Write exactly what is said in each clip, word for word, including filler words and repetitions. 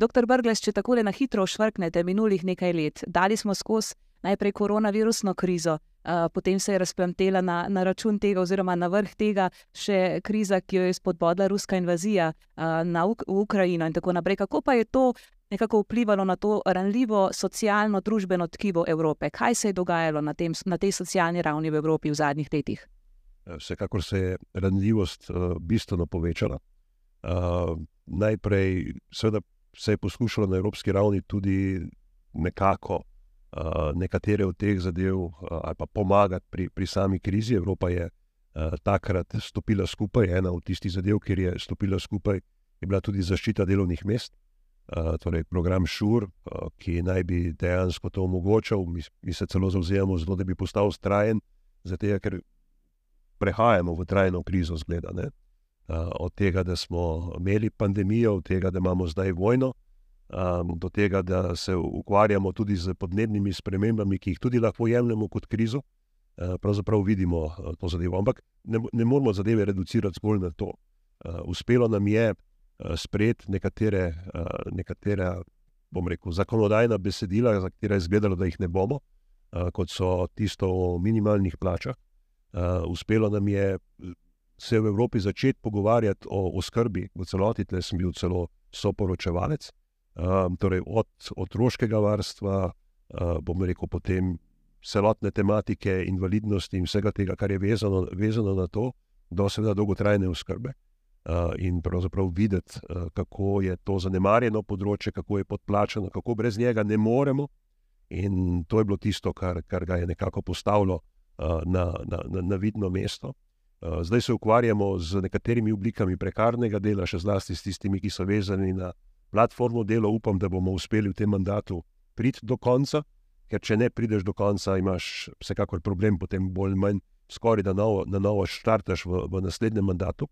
doktor Brglez, če takole na hitro ošvrknete minulih nekaj let, dali smo skozi najprej koronavirusno krizo, uh, potem se je razplamtela na, na račun tega oziroma na vrh tega še kriza, ki jo je spodbodla ruska invazija uh, na Uk- v Ukrajino in tako naprej. Kako pa je to nekako vplivalo na to ranljivo socialno družbeno tkivo Evrope? Kaj se je dogajalo na, tem, na tej socialni ravni v Evropi v zadnjih letih? Vsekakor se je ranljivost uh, bistveno povečala. Uh, najprej seveda se je poskušalo na evropski ravni tudi nekako uh, nekatere od teh zadev uh, ali pa pomagati pri, pri sami krizi. Evropa je uh, takrat stopila skupaj. Ena od tistih zadev, kjer je stopila skupaj, je bila tudi zaščita delovnih mest. Uh, torej program Šur, uh, ki naj bi dejansko to omogočal. Mi, mi se celo zavzemamo zato, da bi postal trajen, zato ker prehajamo v trajno krizo, zgleda, ne? Uh, od tega, da smo imeli pandemijo, od tega, da imamo zdaj vojno, um, do tega, da se ukvarjamo tudi z podnebnimi spremembami, ki jih tudi lahko jemljemo kot krizo, uh, pravzaprav vidimo uh, to zadevo. Ampak ne, ne moramo zadeve reducirati zgolj na to. Uh, uspelo nam je uh, sprejeti nekatere, uh, nekatere, bom rekel, zakonodajna besedila, za katera je izgledalo, da jih ne bomo, uh, kot so tisto o minimalnih plačah. Uh, uspelo nam je se v Evropi začeti pogovarjati o oskrbi v celoti, tle sem bil celo soporočevalec, um, torej od otroškega varstva, uh, bom rekel potem celotne tematike invalidnosti in vsega tega, kar je vezano, vezano na to, do seveda dolgotrajne oskrbe uh, in pravzaprav videti, uh, kako je to zanemarjeno področje, kako je podplačano, kako brez njega ne moremo, in to je bilo tisto, kar, kar ga je nekako postavilo uh, na, na, na, na vidno mesto. Zdaj se ukvarjamo z nekaterimi oblikami prekarnega dela, še zlasti s tistimi, ki so vezani na platformo delo. Upam, da bomo uspeli v tem mandatu priti do konca, ker če ne prideš do konca, imaš vsekakor problem, potem bolj manj skoraj da novo, na novo štartaš v, v naslednjem mandatu.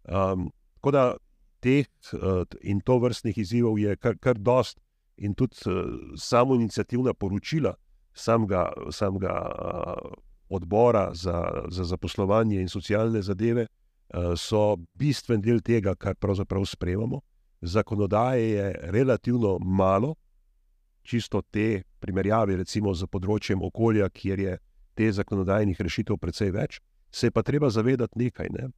Um, tako da teh uh, in to vrstnih izzivov je kar, kar dost in tudi uh, samo iniciativna poročila samega, samega uh, odbora za, za zaposlovanje in socialne zadeve uh, so bistven del tega, kar pravzaprav sprejemamo. Zakonodaje je relativno malo, čisto te primerjave recimo z področjem okolja, kjer je te zakonodajnih rešitev precej več, se je pa treba zavedati nekaj. Ne?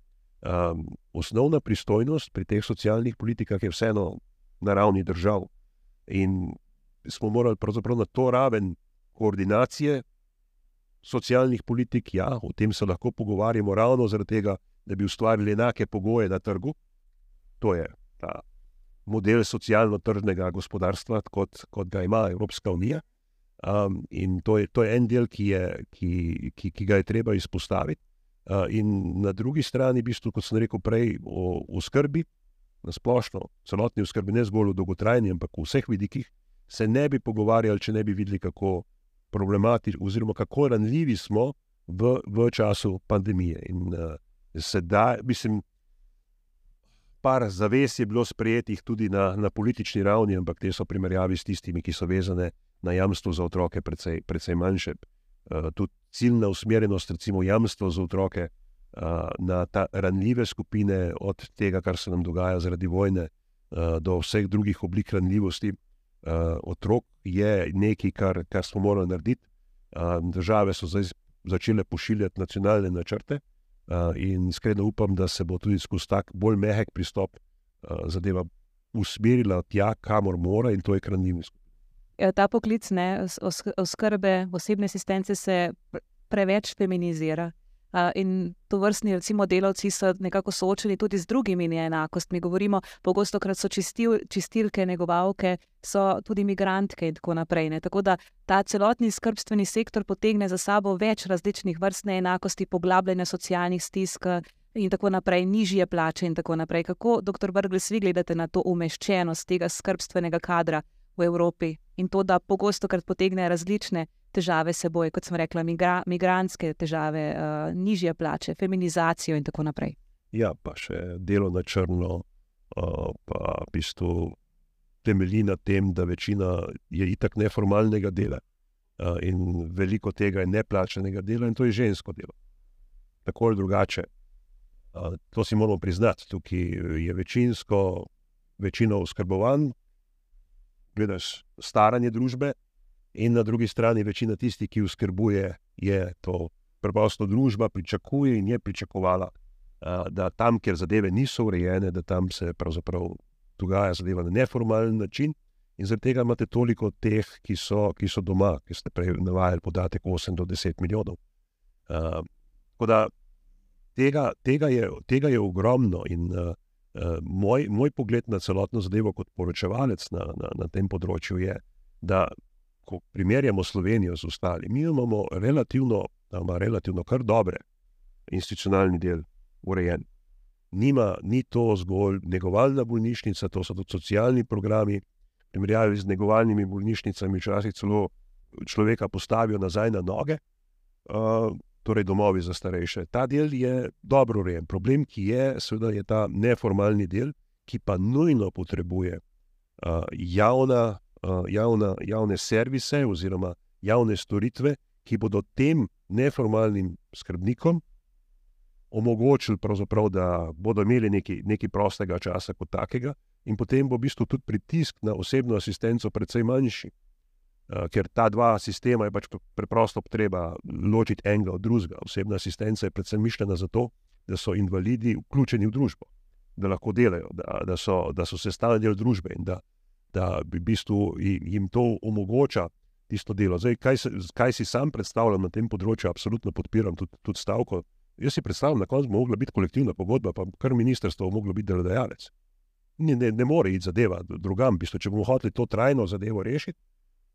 Um, osnovna pristojnost pri teh socialnih politikah je vseeno na ravni držav in smo morali pravzaprav na to raven koordinacije socialnih politik, ja, o tem se lahko pogovarjamo ravno zaradi tega, da bi ustvarili enake pogoje na trgu. To je ta model socialno-tržnega gospodarstva, kot, kot ga ima Evropska unija. Um, in to je, to je en del, ki, je, ki, ki, ki ga je treba izpostaviti. Uh, in na drugi strani, v bistvu, kot sem rekel prej, o, o skrbi, na splošno, celotni oskrbi, ne zgolj v dolgotrajni, ampak v vseh vidikih, se ne bi pogovarjali, če ne bi videli, kako problematični oziroma kako ranljivi smo v, v času pandemije. In uh, sedaj, mislim, par zavez je bilo sprejetih tudi na, na politični ravni, ampak te so primerjavi s tistimi, ki so vezane na jamstvo za otroke, precej, precej manjše. Uh, tudi ciljna usmerjenost, recimo jamstvo za otroke uh, na ta ranljive skupine, od tega, kar se nam dogaja zaradi vojne, uh, do vseh drugih oblik ranljivosti, Uh, otrok je nekaj, kar, kar smo morali narediti. Uh, države so zdaj začele pošiljati nacionalne načrte uh, in iskreno upam, da se bo tudi skozi tak bolj mehek pristop uh, zadeva usmerila tja, kamor mora, in to je k ranljivim skupinam. Ta poklic ne, oskrbe, osebne asistence se preveč feminizira. Uh, in to vrstni recimo delavci so nekako soočeni tudi z drugimi neenakostmi. Govorimo, pogosto krat so čistil, čistilke, negovalke, so tudi migrantke in tako naprej. Ne? Tako da ta celotni skrbstveni sektor potegne za sabo več različnih vrst neenakosti, poglabljanja socialnih stisk in tako naprej, nižje plače in tako naprej. Kako, doktor Brglez, vi gledate na to umeščenost tega skrbstvenega kadra v Evropi in to, da pogosto krat potegne različne težave seboj, kot sem rekla, migra, migrantske težave, uh, nižje plače, feminizacijo in tako naprej. Ja, pa še delo na črno, uh, pa v bistvu temelji na tem, da večina je itak neformalnega dela uh, in veliko tega je neplačanega dela in to je žensko delo. Tako ali drugače. Uh, to si moramo priznati. Tukaj je večinsko, večino oskrbovanj, gledaš staranje družbe, in na drugi strani večina tistih, ki oskrbuje, je to preprosto družba, pričakuje in je pričakovala, da tam, kjer zadeve niso urejene, da tam se pravzaprav dogaja zadeva na neformalen način, in zaradi tega imate toliko teh, ki so, ki so doma, ki ste prej navajali podatek osem do deset milijonov. Uh, tako da tega, tega, je, tega je ogromno in uh, uh, moj, moj pogled na celotno zadevo kot poročevalec na, na, na tem področju je, da ko primerjamo Slovenijo z ostali, mi imamo relativno, ima relativno kar dobre institucionalni del urejen. Nima, ni to zgolj negovalna bolnišnica, to so tudi socialni programi, v primerjavi z negovalnimi bolnišnicami včasih celo človeka postavijo nazaj na noge, uh, torej domovi za starejše. Ta del je dobro urejen. Problem, ki je, seveda je ta neformalni del, ki pa nujno potrebuje uh, javna, uh, javna, javne servise oziroma javne storitve, ki bodo tem neformalnim skrbnikom omogočili pravzaprav, da bodo imeli nekaj, nekaj prostega časa kot takega in potem bo v bistvu tudi pritisk na osebno asistenco precej manjši, uh, ker ta dva sistema je pač preprosto treba ločiti enega od drugega. Osebna asistenca je predvsem mišljena za to, da so invalidi vključeni v družbo, da lahko delajo, da, da, so, da so sestavni del družbe in da, da v bistvu jim to omogoča tisto delo. Zdaj, kaj, se, kaj si sam predstavljam na tem področju, absolutno podpiram tudi, tudi stavko. Jaz si predstavljam, na koncu bo mogla biti kolektivna pogodba, pa kar ministrstvo bo moglo biti delodajalec. Ne, ne, ne more iti zadeva drugam. V bistvu, če bomo hoteli to trajno zadevo rešiti,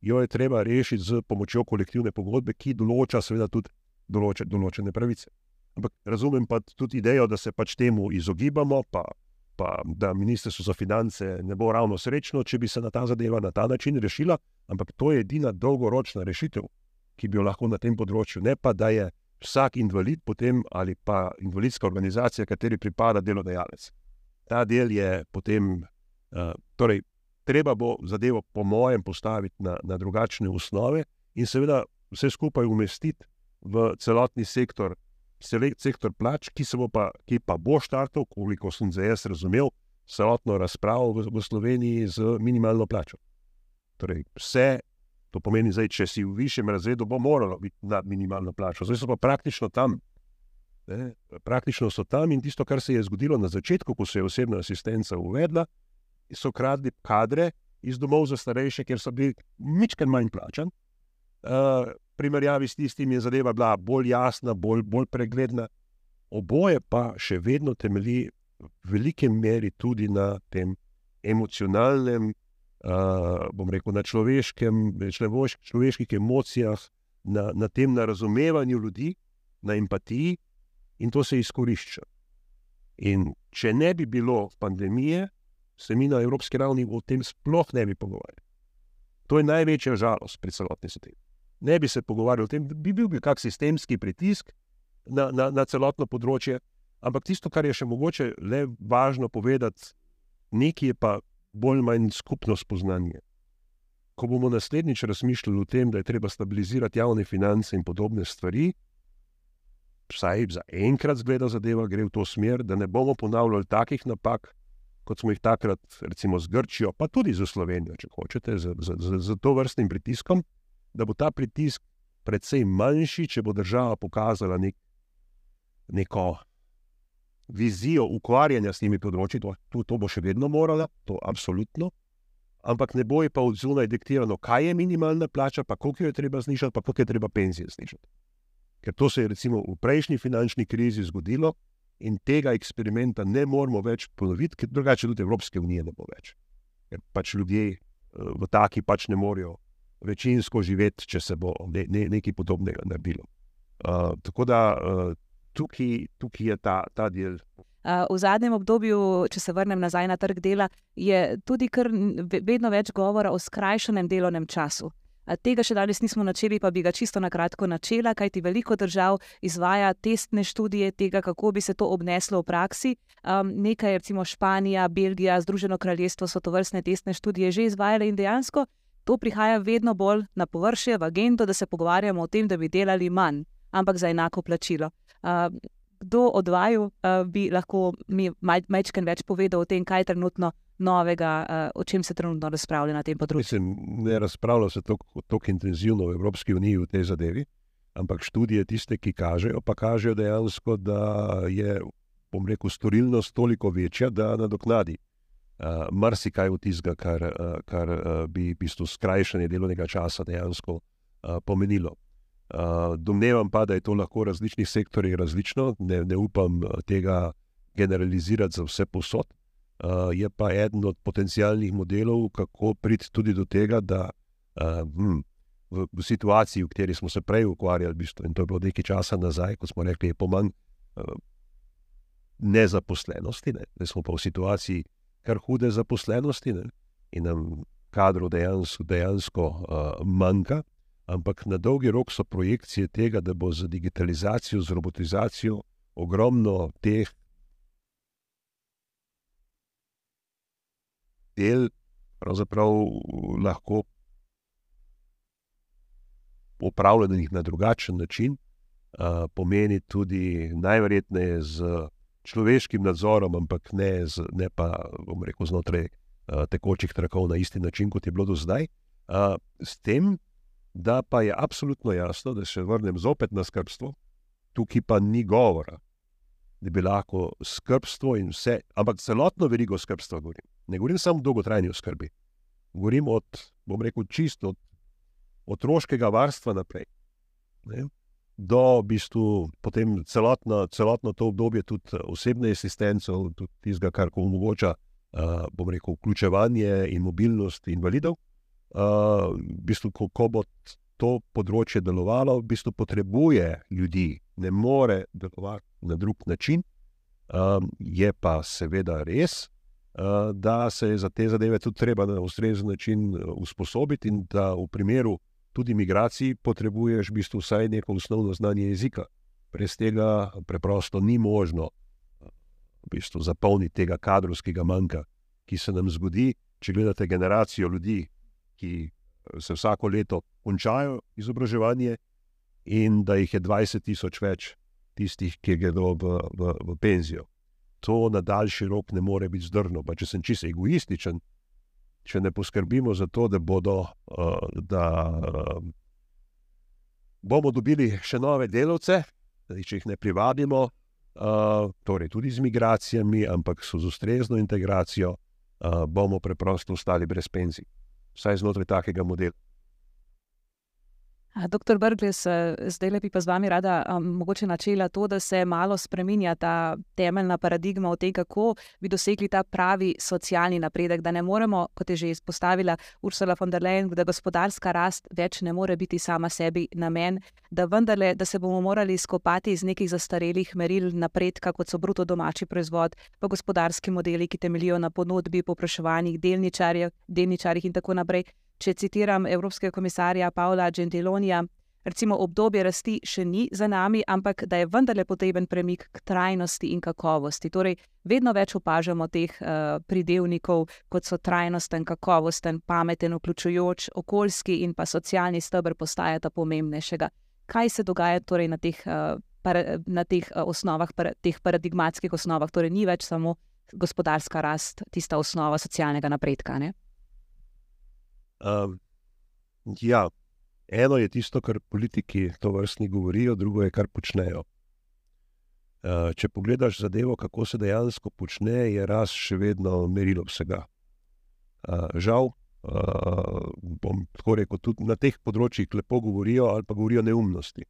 jo je treba rešiti z pomočjo kolektivne pogodbe, ki določa seveda tudi določe, določene pravice. Ampak razumem pa tudi idejo, da se pač temu izogibamo, pa, pa da ministrstvo za finance ne bo ravno srečno, če bi se na ta zadeva na ta način rešila, ampak to je edina dolgoročna rešitev, ki bi jo lahko na tem področju, ne pa da je vsak invalid potem ali pa invalidska organizacija, kateri pripada delodajalec. Ta del je potem, uh, torej, treba bo zadevo po mojem postaviti na, na drugačne osnove in seveda vse skupaj umestiti v celotni sektor, sektor plač, ki, se bo pa, ki pa bo štartal, koliko sem zdaj jaz razumel, celotno razpravo v, v Sloveniji z minimalno plačo. Torej, vse, to pomeni zdaj, če si v višjem razredu, bo moralo biti nad minimalno plačo. Zdaj so pa praktično tam. Ne? Praktično so tam in tisto, kar se je zgodilo na začetku, ko se je osebna asistenca uvedla, so kradli kadre iz domov za starejše, ker so bili mičken manj plačan. Uh, primerjavi s tistim je zadeva bila bolj jasna, bolj, bolj pregledna. Oboje pa še vedno temelji v veliki meri tudi na tem emocionalnem, uh, bom rekel, na človeškem, človeških emocijah, na, na tem na razumevanju ljudi, na empatiji, in to se izkorišča. In če ne bi bilo pandemije, se mi na evropski ravni o tem sploh ne bi pogovarjali. To je največja žalost pri celotni zadevi. Ne bi se pogovarjali o tem, bi bil bi kak sistemski pritisk na, na, na celotno področje, ampak tisto, kar je še mogoče le važno povedati, nekaj je pa bolj manj skupno spoznanje. Ko bomo naslednjič razmišljali o tem, da je treba stabilizirati javne finance in podobne stvari, vsaj za enkrat zgleda zadeva gre v to smer, da ne bomo ponavljali takih napak, kot smo jih takrat recimo z Grčijo, pa tudi za Slovenijo, če hočete, z, z, z, z to vrstnim pritiskom, da bo ta pritisk precej manjši, če bo država pokazala nek, neko vizijo ukvarjanja s temi področji, to, to, to bo še vedno morala, to absolutno, ampak ne bo je pa od zunaj diktirano, kaj je minimalna plača, pa koliko jo je treba znižati, pa koliko je treba penzije znižati. Ker to se je recimo v prejšnji finančni krizi zgodilo in tega eksperimenta ne moramo več ponoviti, ker drugače tudi Evropske unije ne bo več. Ker pač ljudje v taki pač ne morejo večinsko živeti, če se bo ne, ne, nekaj podobnega naredilo. Uh, tako da uh, tukaj, tukaj je ta, ta del. Uh, v zadnjem obdobju, če se vrnem nazaj na trg dela, je tudi kar vedno več govora o skrajšanem delovnem času. Tega še danes nismo načeli, pa bi ga čisto na kratko načela, kajti veliko držav izvaja testne študije tega, kako bi se to obneslo v praksi. Um, nekaj, recimo Španija, Belgija, Združeno kraljestvo so to vrstne testne študije že izvajale in dejansko to prihaja vedno bolj na površje, v agendo, da se pogovarjamo o tem, da bi delali manj, ampak za enako plačilo. Uh, kdo od vaju uh, bi lahko mi majčken več povedal o tem, kaj trenutno novega, o čem se trenutno razpravlja na tem področju? Mislim, ne razpravlja se tako intenzivno v Evropski uniji v tej zadevi, ampak študije tiste, ki kažejo, pa kažejo dejansko, da je, bom rekel, storilnost toliko večja, da nadoknadi uh, marsikaj od tistega, kar, uh, kar uh, bi v bistvu skrajšanje delovnega časa dejansko uh, pomenilo. Uh, domnevam pa, da je to lahko v različnih sektorjih različno, ne, ne upam tega generalizirati za vse posod. Uh, je pa eden od potencialnih modelov, kako priti tudi do tega, da uh, hm, v, v situaciji, v kateri smo se prej ukvarjali, v bistvu, in to je bilo nekaj časa nazaj, ko smo rekli, je pomanj uh, nezaposlenosti, ne? Zdaj smo pa v situaciji kar hude zaposlenosti, ne? In nam kadrov dejansko, dejansko uh, manjka, ampak na dolgi rok so projekcije tega, da bo z digitalizacijo, z robotizacijo ogromno teh del pravzaprav lahko opravljenih na drugačen način, uh, pomeni tudi najverjetneje z človeškim nadzorom, ampak ne, z, ne pa, bom rekel, znotraj uh, tekočih trakov na isti način, kot je bilo do zdaj. Uh, s tem, da pa je absolutno jasno, da se vrnem zopet na skrbstvo, tukaj pa ni govora, da bi lahko skrbstvo in vse, ampak celotno verigo skrbstva govorim. Ne govorim samo o dolgotrajni oskrbi. Govorim od, bom rekel, čisto od otroškega varstva naprej. Ne? Do v bistvu potem celotno, celotno to obdobje tudi osebne asistence, tudi tistega, kar omogoča, uh, bom rekel, vključevanje in mobilnost invalidov. Uh, v bistvu, ko, ko bo to področje delovalo, v bistvu potrebuje ljudi, ne more delovati na drug način. Um, je pa seveda res, uh, da se je za te zadeve tudi treba na ustrezen način usposobiti in da v primeru tudi migracij potrebuješ v bistvu vsaj neko osnovno znanje jezika. Brez tega preprosto ni možno v bistvu zapolniti tega kadrovskega manjka, ki se nam zgodi, če gledate generacijo ljudi, ki se vsako leto končajo izobraževanje in da jih je dvajset tisoč več tistih, ki gredo v, v, v penzijo. To na daljši rok ne more biti zdrno. Pa če sem čisto egoističen, če ne poskrbimo za to, da bodo, uh, da uh, bomo dobili še nove delavce, da če jih ne privabimo, uh, torej tudi z migracijami, ampak so z ustrezno integracijo, uh, bomo preprosto ostali brez penzij. Vsaj znotraj takega modela. Doktor Brglez, zdaj bi pa z vami rada um, mogoče načela to, da se malo spreminja ta temeljna paradigma o tem, kako bi dosegli ta pravi socialni napredek, da ne moremo, kot je že izpostavila Ursula von der Leyen, da gospodarska rast več ne more biti sama sebi namen, da vendarle, da se bomo morali skopati iz nekih zastarelih meril napredka, kot so bruto domači proizvod, pa gospodarski modeli, ki temeljijo na ponudbi, povpraševanjih, delničarjev, delničarjih in tako naprej. Če citiram evropskega komisarja Paola Gentilonija, recimo obdobje rasti še ni za nami, ampak da je vendarle potreben premik k trajnosti in kakovosti. Torej, vedno več opažamo teh uh, pridevnikov, kot so trajnosten, kakovosten, pameten, vključujoč, okoljski in pa socialni steber postajata pomembnejšega. Kaj se dogaja torej na teh, uh, para, na teh uh, osnovah, para, teh paradigmatskih osnovah? Torej, ni več samo gospodarska rast, tista osnova socialnega napredka, ne? Um, ja, eno je tisto, kar politiki to vrstni govorijo, drugo je, kar počnejo. Uh, če pogledaš zadevo, kako se dejansko počne, je rast še vedno merilo vsega. Uh, žal, uh, bom tako rekel, tudi na teh področjih lepo govorijo ali pa govorijo neumnosti,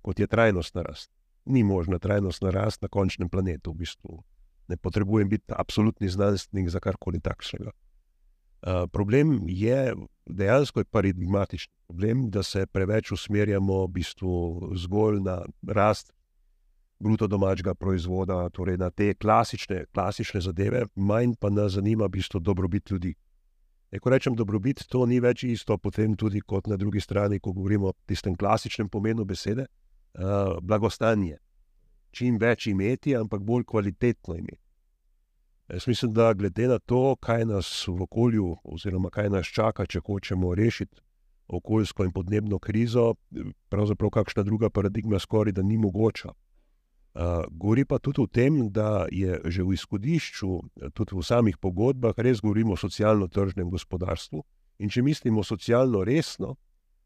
kot je trajnostna rast. Ni možna trajnostna rast na končnem planetu, v bistvu. Ne potrebujem biti absolutni znanstvenik za karkoli takšnega. Uh, problem je, dejansko je paradigmatični problem, da se preveč usmerjamo v bistvu zgolj na rast bruto domačega proizvoda, torej na te klasične, klasične zadeve, manj pa nas zanima v bistvu dobrobit ljudi. E, ko rečem dobrobit, to ni več isto potem tudi kot na drugi strani, ko govorimo o tistem klasičnem pomenu besede, uh, blagostanje. Čim več imeti, ampak bolj kvalitetno imeti. Jaz mislim, da glede na to, kaj nas v okolju oziroma kaj nas čaka, če hočemo rešiti okoljsko in podnebno krizo, pravzaprav kakšna druga paradigma skoraj da ni mogoča. Uh, govori pa tudi o tem, da je že v izhodišču, tudi v samih pogodbah, res govorimo o socialno-tržnem gospodarstvu. In če mislimo socialno resno,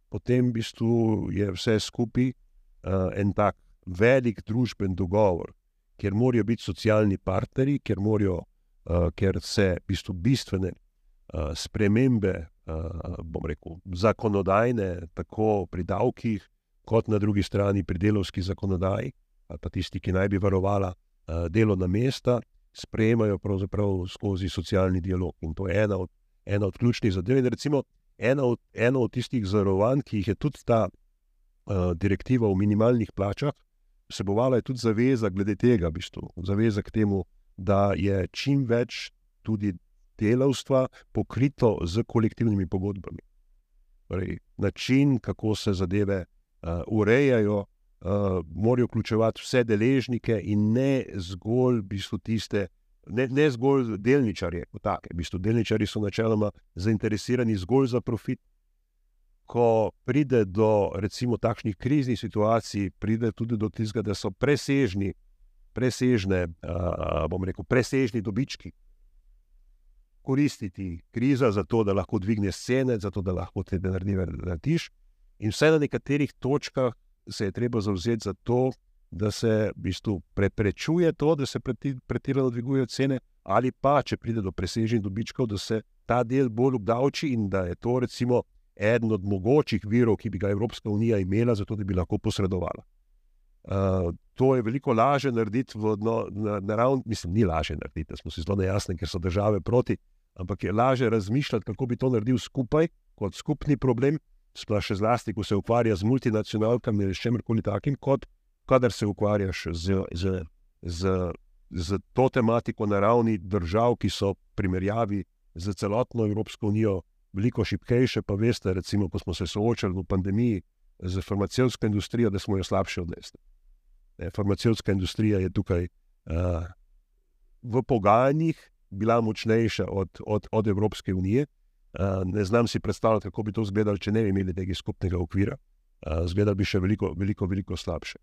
potem v bistvu je vse skupaj uh, en tak velik družben dogovor, kjer morajo biti socialni partnerji, kjer, morajo, uh, kjer se v bistvu bistvene uh, spremembe, uh, bom rekel, zakonodajne, tako pri davkih, kot na drugi strani pri delovski zakonodaji, ali pa tisti, ki naj bi varovala uh, delovna mesta, sprejemajo pravzaprav skozi socialni dialog. In to je ena od, ena od ključnih zadev. In recimo ena od, ena od tistih zarovanj, ki jih je tudi ta uh, direktiva o minimalnih plačah, vsebovala je tudi zaveza glede tega, v bistvu, zaveza k temu, da je čim več tudi delavstva pokrito z kolektivnimi pogodbami. Torej, način, kako se zadeve uh, urejajo, Uh, morajo vključevati vse deležnike in ne zgolj v bistvu tiste, ne, ne zgolj delničarje. Take. V bistvu delničarji so načeloma zainteresirani zgolj za profit. Ko pride do recimo takšnih kriznih situacij, pride tudi do tistega, da so presežni, presežne, uh, bom rekel, presežni dobički. Koristiti kriza za to, da lahko dvigneš cene, za to, da lahko te narediš. In vse na nekaterih točkah se je treba zavzeti za to, da se v bistvu preprečuje to, da se pretirano dvigujejo cene, ali pa, če pride do presežnih dobičkov, da se ta del bolj obdavči in da je to recimo eden od mogočih virov, ki bi ga Evropska unija imela, zato da bi lahko posredovala. Uh, to je veliko lažje narediti v no, na, na ravni, mislim, ni lažje narediti, da smo si zelo nejasni, ker so države proti, ampak je lažje razmišljati, kako bi to naredil skupaj, kot skupni problem, sploh še zlasti, ko se ukvarja z multinacionalkami ali s čemerkoli takim, kot kadar se ukvarjaš z, z, z, z to tematiko na ravni držav, ki so primerjavi z celotno Evropsko unijo veliko šibkejše, pa veste, recimo, ko smo se soočali v pandemiji z farmacevtsko industrijo, da smo jo slabše odnesli. Farmacevtska industrija je tukaj uh, v pogajanjih bila močnejša od, od, od Evropske unije. Uh, ne znam si predstavljati, kako bi to izgledalo, če ne bi imeli tega skupnega okvira. Uh, Zgledalo bi še veliko, veliko, veliko slabše.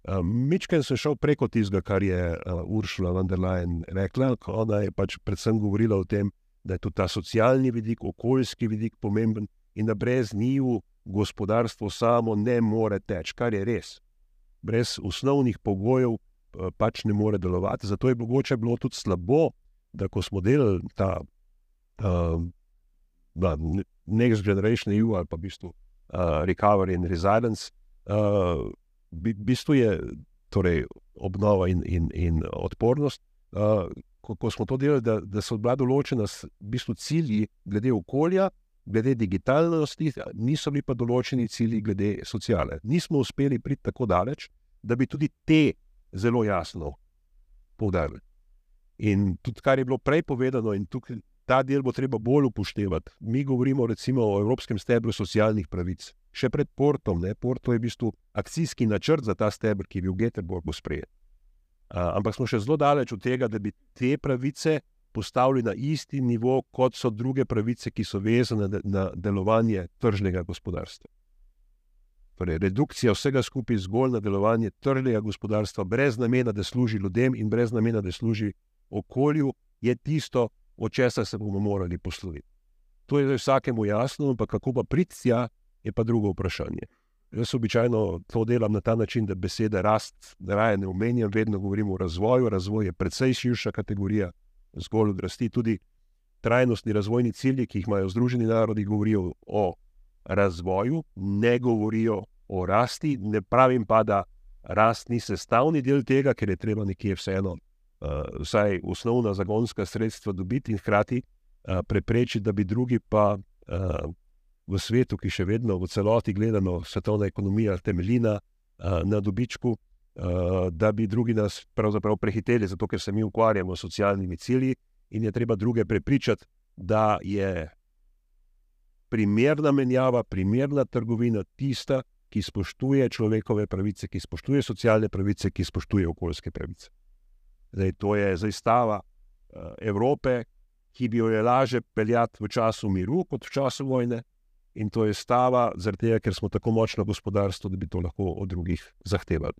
Uh, Mičken sem šel preko tistega, kar je uh, Ursula von der Leyen rekla. Ona je pač predvsem govorila o tem, da je tudi ta socialni vidik, okoljski vidik pomemben in da brez njiju gospodarstvo samo ne more teči, kar je res. Brez osnovnih pogojev uh, pač ne more delovati. Zato je mogoče bilo tudi slabo, da ko smo delali ta uh, Da, Next Generation E U ali pa v bistvu uh, Recovery and Resilience, uh, v bistvu je torej, obnova in, in, in odpornost. Uh, ko, ko smo to delali, da, da so bila določena v bistvu cilji glede okolja, glede digitalnosti, niso bili pa določeni cilji glede sociale. Nismo uspeli priti tako daleč, da bi tudi te zelo jasno poudarili. In tudi, kar je bilo prej povedano, in tukaj ta del bo treba bolj upoštevati. Mi govorimo recimo o Evropskem stebru socialnih pravic. Še pred Portom, ne? Porto je v bistvu akcijski načrt za ta stebr, ki je bil v Göteborgu sprejet. Uh, ampak smo še zelo daleč od tega, da bi te pravice postavili na isti nivo, kot so druge pravice, ki so vezane na, na delovanje tržnega gospodarstva. Torej, redukcija vsega skupaj zgolj na delovanje tržnega gospodarstva, brez namena, da služi ljudem in brez namena, da služi okolju, je tisto, od česa se bomo morali posloviti. To je vsakemu jasno, ampak kako pa priti tja, je pa drugo vprašanje. Jaz običajno to delam na ta način, da besede rast raje ne omenjam, vedno govorim o razvoju. Razvoj je precej širša kategorija, zgolj od rasti. Tudi trajnostni razvojni cilji, ki jih imajo Združeni narodi, govorijo o razvoju, ne govorijo o rasti. Ne pravim pa, da rast ni sestavni del tega, ker je treba nekje vseeno Uh, vsaj osnovna zagonska sredstva dobiti in hkrati uh, preprečiti, da bi drugi pa uh, v svetu, ki še vedno v celoti gledano svetovna ekonomija temelji na, uh, na dobičku, uh, da bi drugi nas pravzaprav prehiteli, zato ker se mi ukvarjamo s socialnimi cilji in je treba druge prepričati, da je primerna menjava, primerna trgovina tista, ki spoštuje človekove pravice, ki spoštuje socialne pravice, ki spoštuje okoljske pravice. Zdaj, to je zastava uh, Evrope, ki bi jo je laže peljati v času miru kot v času vojne, in to je stava zaradi tega, ker smo tako močno gospodarstvo, da bi to lahko od drugih zahtevali.